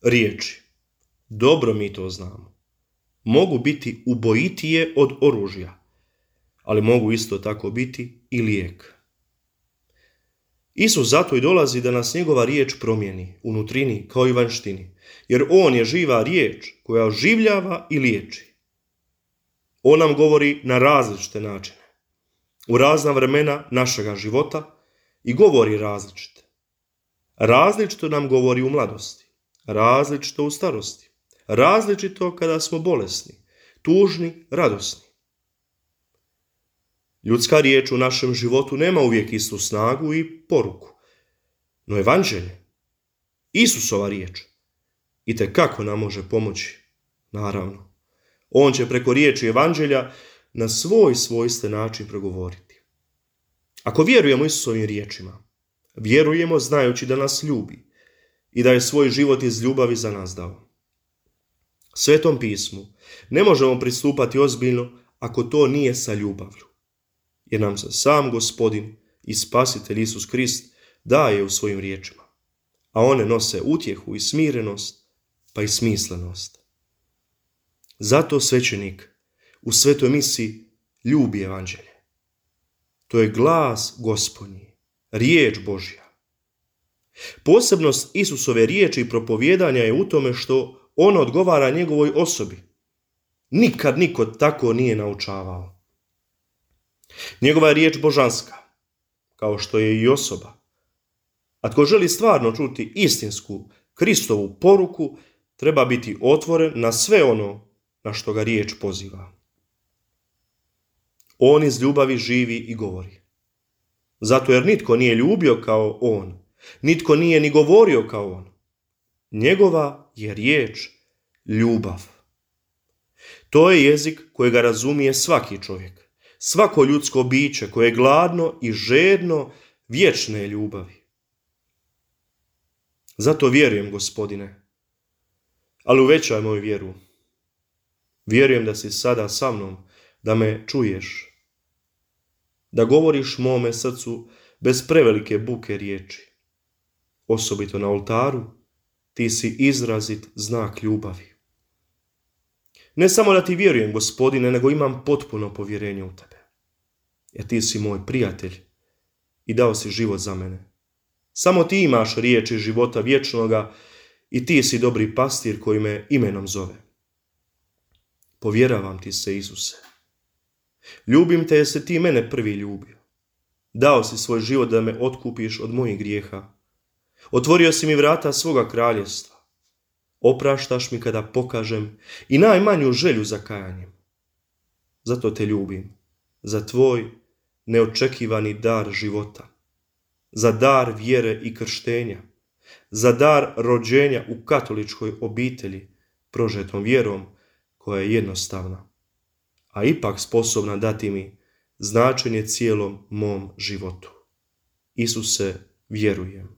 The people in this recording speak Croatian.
Riječi, dobro mi to znamo, mogu biti ubojitije od oružja, ali mogu isto tako biti i lijek. Isus zato i dolazi da nas njegova riječ promijeni u nutrini kao i vanjštini, jer on je živa riječ koja oživljava i liječi. On nam govori na različite načine, u razna vremena našega života i govori različite. Različito nam govori u mladosti, različito u starosti, različito kada smo bolesni, tužni, radosni. Ljudska riječ u našem životu nema uvijek istu snagu i poruku, no evanđelje, Isusova riječ, itekako nam može pomoći, naravno. On će preko riječi evanđelja na svoj svojstven način progovoriti. Ako vjerujemo Isusovim riječima, vjerujemo znajući da nas ljubi i da je svoj život iz ljubavi za nas dao. Svetom pismu ne možemo pristupati ozbiljno ako to nije sa ljubavlju, jer nam se sam Gospodin i Spasitelj Isus Krist daje u svojim riječima, a one nose utjehu i smirenost, pa i smislenost. Zato svećenik u svetoj misi ljubi evanđelje. To je glas Gospodnji, riječ Božja. Posebnost Isusove riječi i propovijedanja je u tome što on odgovara njegovoj osobi. Nikad niko tako nije naučavao. Njegova je riječ božanska, kao što je i osoba. A tko želi stvarno čuti istinsku Kristovu poruku, treba biti otvoren na sve ono na što ga riječ poziva. On iz ljubavi živi i govori. Zato jer nitko nije ljubio kao on, nitko nije ni govorio kao on. Njegova je riječ ljubav. To je jezik kojega razumije svaki čovjek, svako ljudsko biće koje je gladno i žedno vječne ljubavi. Zato vjerujem, Gospodine, ali uvećaj moju vjeru. Vjerujem da si sada sa mnom, da me čuješ, da govoriš mome srcu bez prevelike buke riječi. Osobito na oltaru, ti si izrazit znak ljubavi. Ne samo da ti vjerujem, Gospodine, nego imam potpuno povjerenje u tebe. Jer ti si moj prijatelj i dao si život za mene. Samo ti imaš riječi života vječnoga i ti si dobri pastir koji me imenom zove. Povjeravam ti se, Isuse. Ljubim te jer si ti mene prvi ljubio. Dao si svoj život da me otkupiš od mojih grijeha. Otvorio si mi vrata svoga kraljevstva. Opraštaš mi kada pokažem i najmanju želju za kajanjem. Zato te ljubim, za tvoj neočekivani dar života, za dar vjere i krštenja, za dar rođenja u katoličkoj obitelji, prožetom vjerom koja je jednostavna, a ipak sposobna dati mi značenje cijelom mom životu. Isuse, vjerujem.